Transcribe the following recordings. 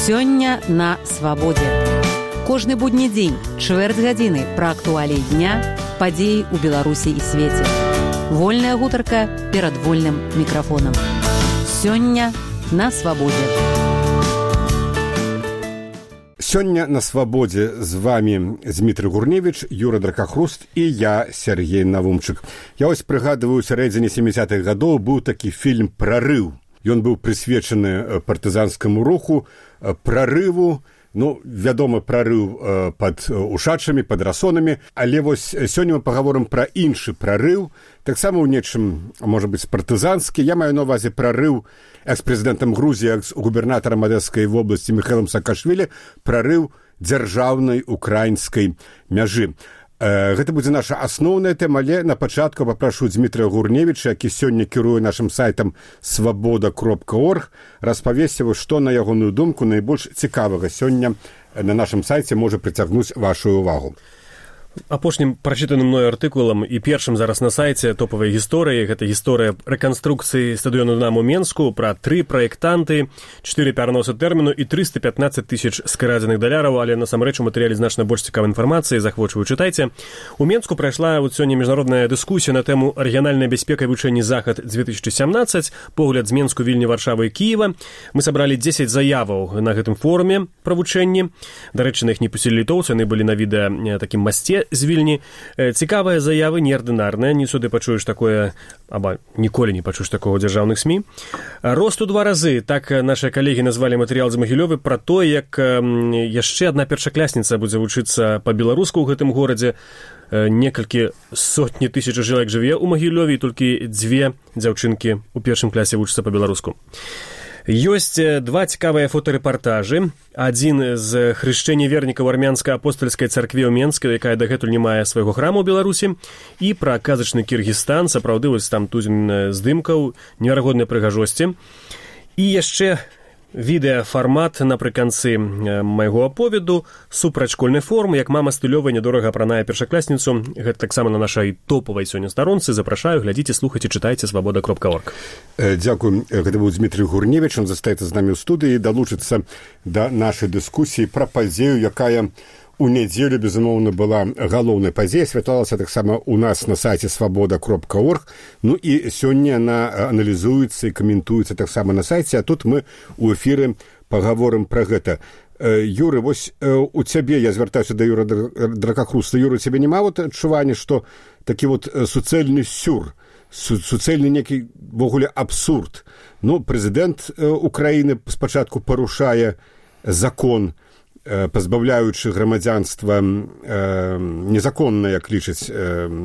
Сёння на свабодзе. Кожны будні дзень, чвэрць гадзіны пра актуаліі дня, падзеі ў Беларусі і свеце. Вольная гутарка перад вольным мікрафонам. Сёння на свабодзе. Сёння на свабодзе з вами Дмітрый Гурневіч, Юра Дракахруст і я, Сергей Навумчык. Я ось прыгадываю, у сярэдзіне 70-х гадоў быў такі фільм «Прарыў». Ён быў прысвечаны партызанскаму руху, прарыву, вядома, прарыў пад ушачамі, пад расонамі, але вось сёння мы пагаворым пра іншы прарыў, таксама ў нечым, можа быць, партызанскі. Я маю на ўвазе прарыў экс-прэзідэнтам Грузіі, экс-губернатарам Адэскай вобласці Міхаілам Саакашвілі, прарыў дзяржаўнай украінскай мяжы. Гэта будзе наша асноўная тэма, але на пачатку папрашу Дмітрая Гурневіча, які сёння кіруе нашым сайтам свабода.орг, распавесці, што, на ягоную думку, найбольш цікавага сёння на нашым сайце можа прыцягнуць вашу ўвагу. Апошнім прачытаным мною артыкулам і першым зараз на сайце топавай гісторыі, гэта гісторыя рэканструкцыі стадыёну «Дынамо» Менску пра 3 праектанты, 4 пераносы тэрміну і 315 тысяч скрадзеных даляраў, але насамрэч у матэрыяле значна больш цікавай інфармацыі, захвочваю, чытайце. У Менску прайшла сёння міжнародная дыскусія на тэму рэгіянальнай бяспека і вывучэння Захад-2017, погляд з Менску, Вільні, Варшавы і Кіева. Мы сабралі 10 заяваў на гэтым форуме пра вывучэнні. Дарэчы, на іх не пусцілі літоўцы, яны былі на відэа такім масце з Вільні. Цікавыя заявы, неардынарныя, не сюды пачуеш такое, або ніколі не пачуеш такого ў дзяржаўных СМІ. Рост у 2 разы, так нашыя калегі назвалі матэрыял з Магілёвы пра то, як яшчэ адна першакласніца будзе вучыцца па-беларуску ў гэтым горадзе. Некалькі сотні тысяч чалавек жыве ў Магілёве, і толькі 2 дзяўчынкі ў першым класе вучацца па-беларуску. Ёсць 2 цікавыя фотарэпартажы. Адзін з хрышчэння вернікаў армянска-апостальскай царкве ў Менску, якая дагэтуль не мае свайго храму ў Беларусі, і пра казачны Кіргізстан, сапраўды вось там тузін здымкаў, неверагоднай прыгажосці. І яшчэ відэафармат напрыканцы майго аповеду, супраць школьнай формы, як мама стылёвая нядорага апранае першакласніцу. Гэта таксама на нашай топавай сёння старонцы. Запрашаю, глядзіце, слухайце, чытайце свабода.орг. Дзякую. Гэта быў Дмітрый Гурневіч, он застаецца з намі ў студыі, далучыцца да нашай дыскусіі пра падзею, якая у нядзелю, безумоўна, была галоўнай падзеяй, асвятлалася таксама у нас на сайце свабода.орг. І сёння яна аналізуецца і каментуецца таксама на сайце, а тут мы ў эфіры пагаворым пра гэта. Юры, вось у цябе, я звяртаюся да Юра Дракахруста. Юра, у цябе няма адчування, што такі суцэльны сюр, суцэльны некі вогуле абсурд. Прэзідэнт Украіны спачатку парушае закон, пазбаўляючы грамадзянства незаконна, як лічыць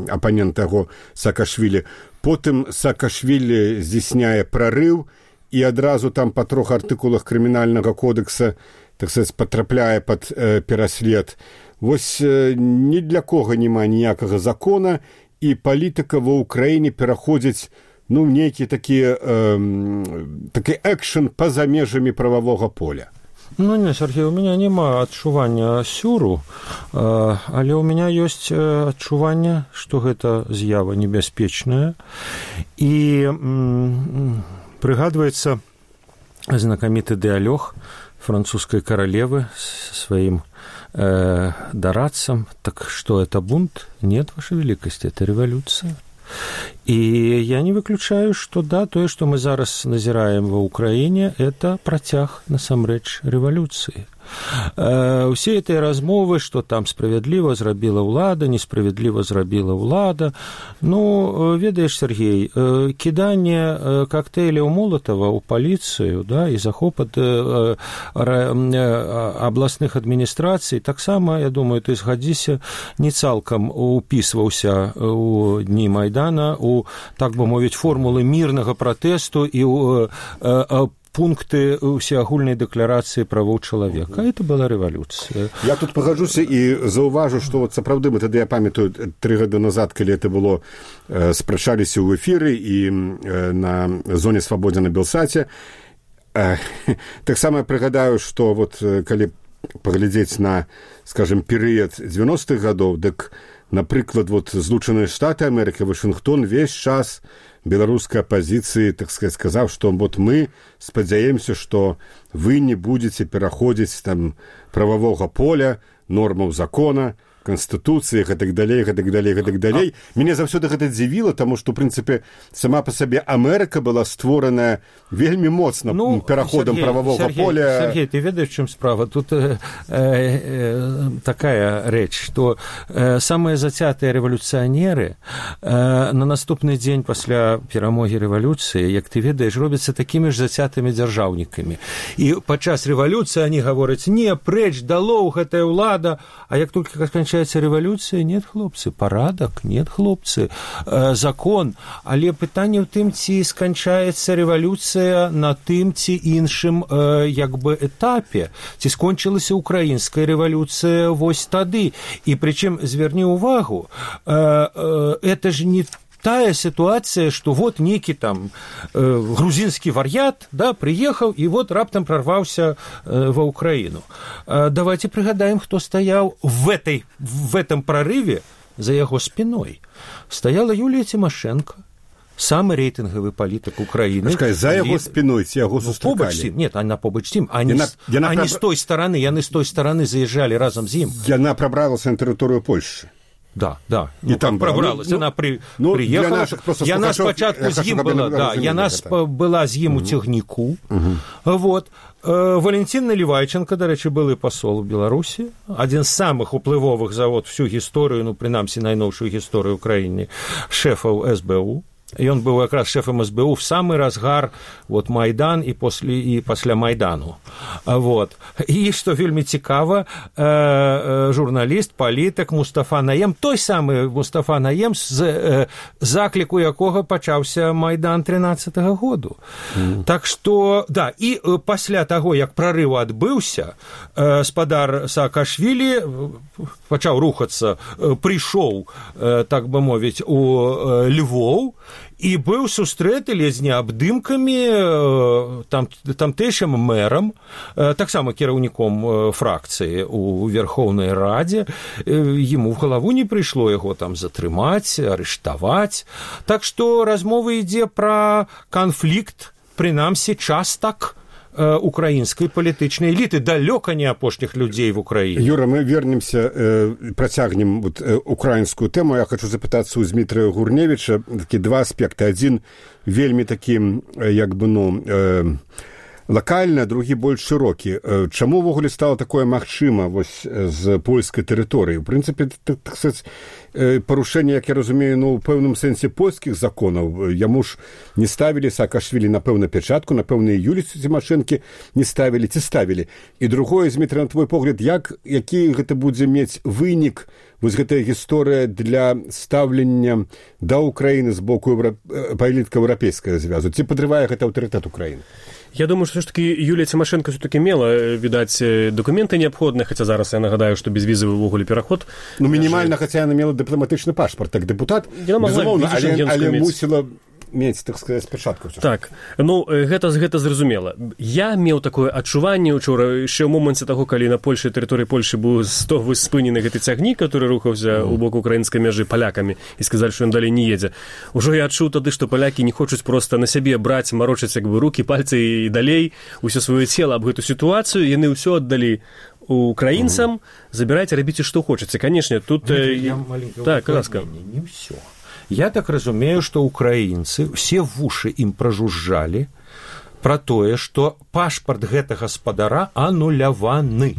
апанент таго Саакашвілі. Потым Саакашвілі здзяйсняе прарыў і адразу там па 3 артыкулах крымінальнага кодекса, так сказаць, патрапляе пад пераслед. Вось ні для кога няма ніякага закона, і палітыка ва ўкраіне пераходзіць нейкі такі экшн па-за межамі прававога поля. Не, Сергей, у меня няма адчування сюру, але у меня ёсць адчуванне, што гэта з'ява небяспечная. І прыгадваецца знакаміты дыалог французскай каралевы сваім дарадцам. Так что это бунт? Нет, Ваша Великость, это революция. И я не выключаю, что да, тое, что мы зараз назираем во Украине, это працяг насамрэч рэвалюцыі. Усе этой размовы, што там справядліва зрабіла ўлада, несправядліва зрабіла ўлада. Ведаеш, Сергей, кіданне коктейляў Молотова ў паліцыю, і захоп ад абласных адміністрацый, таксама, я думаю, ты згадзіся, не цалкам упісваўся у дні Майдана, у, так бы мовіць, формулы мірнага пратэсту і пункты усеагульнай дэкларацыі правоў чалавека. Это была рэвалюцыя. Я тут пагаджуся і заўважу, што сапраўды мы тады, я памятаю, 3 гады назад, калі это было, спрачаліся ў эфіры і на зоне свабодзе на Белсаце. Таксама прыгадаю, што калі паглядзець на, скажем, перыяд 90-х гадоў, дык, напрыклад, Злучаныя Штаты Амерыкі, Вашынгтон весь час беларускай апазіцыі, так сказать, сказаў, што вот мы спадзяемся, што вы не будзеце пераходзіць там прававога поля, нормаў закона, Конституцыях и так далее, и так далее, и так далее. Меня заўсёды гэта дзівіла, тому што, в принципе, сама по себе Америка была створаная вельмі моцна пераходам правового поля. Сергей, ты ведаешь, в чем справа? Тут такая рэч, што самыя зацятыя рэвалюцыянеры на наступны дзень пасля перамогі рэвалюцыі, як ты ведаеш, робяцца такімі ж зацятымі дзяржаўнікамі. І падчас рэвалюцыі они гавораць: не, прэч, далоў гэтая ўлада, а як толькі сканчаецца рэвалюцыя, нет, хлопцы, парадак, нет, хлопцы, закон, але пытанне ў тым, ці сканчаецца рэвалюцыя на тым ці іншым як бы этапе, ці скончылася украінская рэвалюцыя вось тады. І прычым, зверні ўвагу, это ж не тая ситуация, что вот некий там грузинский вар'ят, да, приехал и вот раптом прорвался во Украину. Давайте пригадаем, кто стоял в этом прорыве за его спиной. Стояла Юлия Тимошенко, самый рейтинговый политик Украины. За его спиной, ці яго сустракалі? Нет, она побач з ім. Они с той стороны, яны с той стороны заезжали разом з ім. Яна пробралась на территорию Польши. Да, да. И там пробралась. Она приехала. Яна спочатку з ім была, да, яна была з ім у цягніку. Вот. Валентин Наливайченко, до речі, былы пасол у Беларусі, адзін з самых уплывовых за вот всю гісторыю, ну, прынамсі, найноўшую гісторыю Украіны, шэфаў СБУ. Ён быў якраз шэфам СБУ в самы разгар вот Майдан і пасля Майдану. Вот. І што вельмі цікава, журналіст, палітык Мустафа Наем, той самы Мустафа Наем, з закліку якога пачаўся Майдан 13-го году. Так што, да, і пасля таго, як прарыў адбыўся, спадар Саакашвілі пачаў рухацца, прыйшоў, так бы мовіць, у Львоў, і быў сустрэты ледзьне абдымкамі тамтэйшым мэрам, таксама кіраўніком фракцыі у Верхоўнай Радзе. Яму в галаву не прыйшло яго там затрымаць, арыштаваць. Так што размова ідзе пра канфлікт, прынамсі, частак украинской палітычнай эліты, далёка не апошніх людзей в Украине. Юра, мы вернемся, працягнем вот украинскую тему. Я хочу запытацца у Дмітрыя Гурневіча такі два аспекты. Адзін вельмі такі, як бы, ну, лакальна, другі больш шырокі. Чаму ўвогуле стала такое магчыма вось з польскай тэрыторыі? У прынцыпе, так сказаць, парушэнне, як я разумею, ну, ў пэўным сэнсе польскіх законаў. Яму ж не ставілі Саакашвілі, напэўна, пячатку, напэўна, і Юлію Тимошенко не ставілі, ці ставілі. І другое, Дмітрый, на твой погляд, які гэта будзе мець вынік, вось гэтая гісторыя для стаўлення да Украіны з боку палітыкаў еўрапейскага звязу? Ці падрывае гэта аўтарытэт Украіны? Я думаю, что все-таки Юлия Тимошенко все-таки мела, видать, документы необходные, хотя зараз я нагадаю, что безвизовый в уголе переход. Ну, минимально, хотя она имела дипломатичный паспорт, так депутат, безумовно, але мусила мець, так сказаць, пачатку. Так, ну, гэта зразумела. Я меў такое адчуванне учора, яшчэ ў моманце таго, калі на Польшы, тэрыторыі Польшы быў спынены гэты цягнік, который рухаўся ў бок украінскай мяжы палякамі, і сказалі, што ён далей не едзе. Ужо я адчуў тады, што палякі не хочуць проста на сябе браць, марочыць як бы рукі, пальцы і далей усё сваё цела аб гэту сітуацыю, яны ўсё аддалі украінцам, забірайце, рабіце, што хочаце. Канешне, тут... Так, ласка. Не ўсё. Я так разумею, что украинцы все в уши им прожужжали про тое, что пашпарт гэтага спадара ануляваны.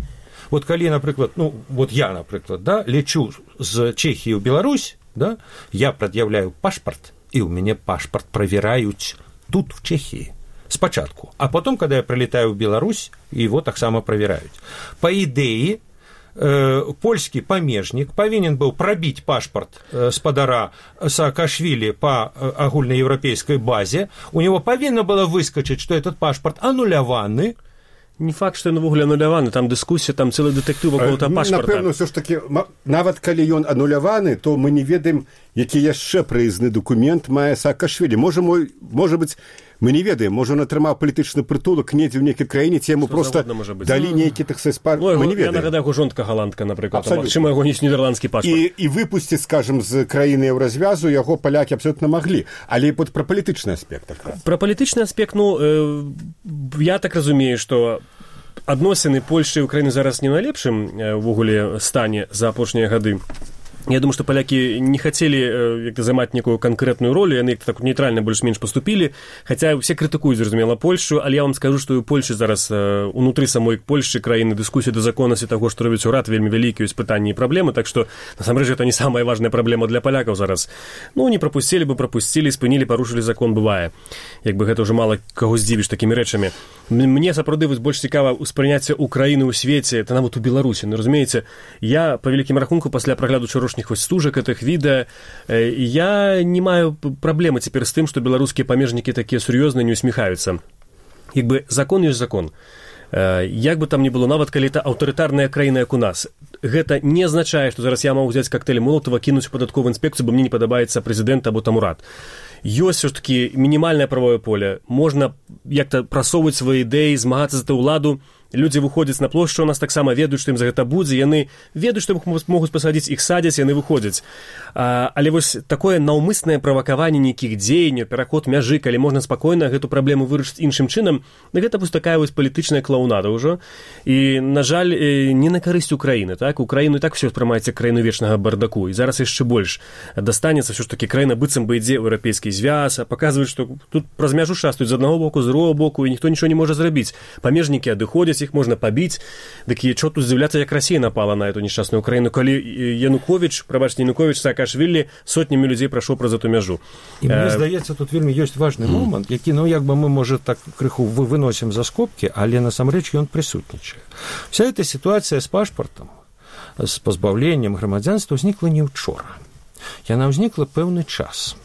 Вот калі, напрыклад, ну, вот я, напрыклад, да, лечу з Чехии в Беларусь, да, я предъявляю пашпарт, и у меня пашпарт проверяют тут, в Чехии, спочатку. А потом, когда я прилетаю в Беларусь, его так само проверяют. По идее, польскі памежнік павінен быў прабіць пашпарт спадара Саакашвілі по агульнаеўрапейскай базе, у него павінна было выскочыць, што этот пашпарт ануляваны. Не факт, што ён увогуле ануляваны, там дыскусія, там цэлы дэтэктыў вакол таго пашпарта. Напэўна, ўсё ж такі, нават калі ён ануляваны, то мы не ведаем, які яшчэ прыязны дакумент мае Саакашвілі. Можа быць, Мы не ведаем, можа он атрымаў палітычны прытулак недзе ў нейкай краіне, ці яму проста далі нейкі мы не ведаем. Я нагадаю, жонка голландка, напрыклад, магчыма, яго ёсць нідэрландскі пашпарт. І выпусціць, скажам, з краіны еўразвязу яго палякі абсолютна маглі. Але вот пра палітычны аспект. Пра палітычны аспект, я так разумею, што адносіны Польшчы і Украіны зараз не ў найлепшым увогуле стане за апошнія гады. Я думаю, что поляки не хотели займаць некую конкретную роль, яны так нейтральна больш-менш поступили, хотя все критикуют, зразумела, Польшу, але я вам скажу, что у Польши зараз унутры самой Польши краіны дыскусія да законнасці таго, што робіць урад, вельмі вялікія ёсць пытанні і праблемы, так что насамрэч это не самая важная праблема для полякаў зараз. Не пропустили бы, пропустили, спынілі, парушылі закон, бывае. Як бы гэта ўжо мала каго здзівіш такімі рэчамі. Мне сапраўды больш цікава ўспрыняцце Украіны ў свеце, это нават у Беларусі. Разумееце, я па вялікім рахунку пасля прагляду учарашніх стужак гэтых відэа, я не маю праблемы цяпер з тым, што беларускія памежнікі такія сур'ёзныя не усміхаюцца. Як бы закон ёсць закон. Як бы там ни было, нават калі это аўтарытарная краіна, як у нас, гэта не азначае, што зараз я магу взяць коктейль Молотова, кінуць у падатковую інспекцыю, бо мне не падабаецца прэзідэнт або там урад. Ёсць все ж таки мінімальнае правовое поле. Можна як-то прасоўваць свае ідэі, змагацца за ту ўладу. Людзі выходзяць на плошчу, у нас таксама ведаюць, што ім за гэта будзе, яны ведаюць, што іх могуць пасадзіць, іх садзяць, яны выходзяць. Але вось такое наўмыснае правакаванне нейкіх дзеянняў, пераход мяжы, калі можна спакойна гэту праблему вырашыць іншым чынам, гэта вось такая вось палітычная клоунада ўжо. І, на жаль, не на карысць Украіны, так? Украіну і так все спрымаецца краіну вечнага бардаку, і зараз яшчэ больш дастанецца все ж таки краіна быццам бы ідзе ў еўрапейскі звяз, а паказваюць, што тут праз мяжу шастаюць з аднаго боку, з другого боку, і ніхто нічого не можа зрабіць. Памежнікі адыходзяць, их можно побить. Так и что тут здзіўляцца, як Россия напала на эту несчастную Украину, калі Янукович, прабачце, Янукович, Саакашвілі сотнями людей прайшоў праз эту мяжу. І мне здаецца, тут вельмі ёсць важны момант, які, як бы мы, можа, так крыху выносім за скобкі, але насамрэч ён прысутнічае. Вся эта ситуация с пашпартом, с позбавлением грамадзянства ўзнікла не учора. Яна ўзнікла пэўны час.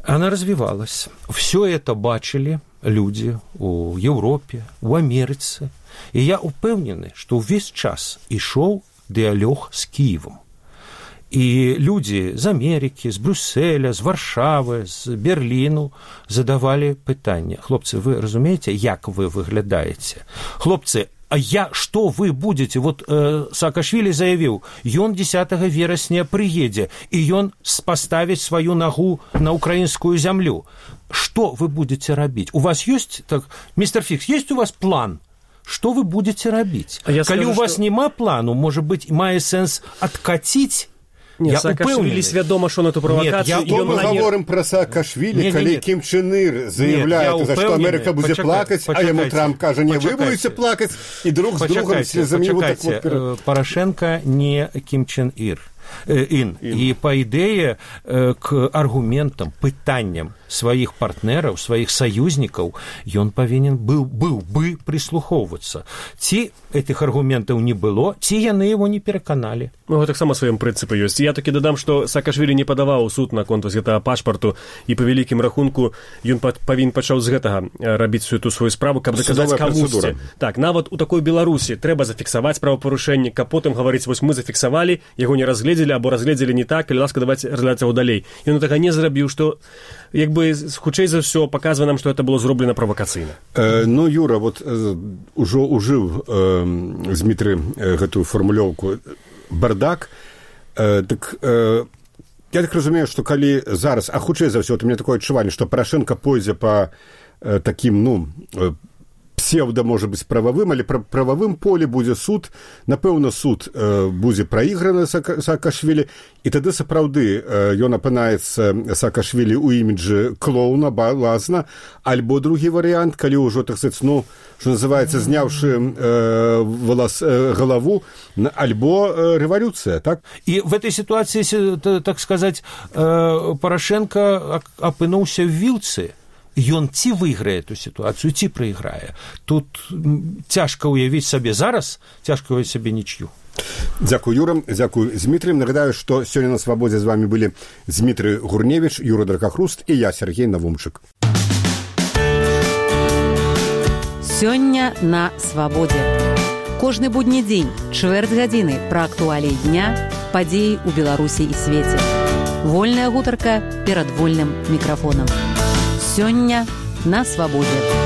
Она развивалась. Все это бачили люди у Европе, у Америцы. И я упэўнены, что весь час ішоў дыалог с Киевом. И люди из Америки, с Брюсселя, с Варшавы, с Берліну задавали пытанне. Хлопцы, вы разумеете, як вы выглядаете? Хлопцы, что вы будете? Вот Саакашвілі заявіў, ён 10 верасня прыедзе, і ён поставіць сваю нагу на украинскую землю. Что вы будете рабіць? У вас есть, так, мистер Фикс, есть у вас план? Что вы будете рабіць? Калі у вас няма плану, может быть, мае сэнс откатить. Нет, Саакашвілі свядома, што на эту правакацыю... Мы говорим про Саакашвілі, калі Кім Чен Ир заявляет, что Америка будет плакать, а ему Трамп кажа, не, вы будете плакать, и друг с другом слезами его так вот... Порошенко не Кім Чен Ир. И по идее к аргументам, пытанням сваіх партнераў, сваіх саюзнікаў ён павінен быў бы прислухоўвацца. Ці этих аргументаў не было, ці яны его не пераканалі. Таксама сваім прынцыпы ёсць. Я такі дадам, што Саакашвілі не падаваў суд наконт гэтага пашпарту, і па вялікім рахунку ён павінен пачаў з гэтага рабіць всю эту сваю справу, каб даказаць камусьці. Так, нават у такой Беларусі трэба зафіксаваць правапарушэнне, каб потым гаварыць, вось мы зафіксавалі, яго не разгледзелі, або разгледзелі не так, калі ласка, давайте разглядаць яго далей. Ён гэтага не зрабіў, што як бы хутчэй за ўсё паказвае нам, што это было зроблена правакацыйна. Юра, вот ужо ужыў Змітры гэтую фармулёўку бардак, так я так разумею, што калі зараз, а хутчэй за ўсё, у меня такое адчуванне, што Парашенко пойдзе па такім, псевдо, может быть, правовым, але правовым поле будзе суд, напэўна, суд будзе праіграны Саакашвілі, і тады сапраўды ён апынаецца Саакашвілі ў іміджы клоуна, балазна, альбо другі варыянт, калі ўжо, так сказать, что называется, зняўшы голову, альбо революция, так? И в этой ситуации, так сказать, Порошенко апынуўся в вілцы. Ён ці выйграе эту ситуацию, ці прайграе. Тут цяжка ўявіць сабе зараз, цяжка ўявіць сабе нічью. Дзякую, Юра, дзякую, Змітрый. Нагадаю, што сёння на Свабодзе з вами былі Змітрый Гурневіч, Юра Дракахруст і я, Сергей Навумчык. Сёння на Свабодзе. Кожны будні дзень, чвэрць гадзіны пра актуаліі дня, падзеі ў Беларусі і свеце. Вольная гутарка перад вольным мікрафонам. Сёння на свабодзе.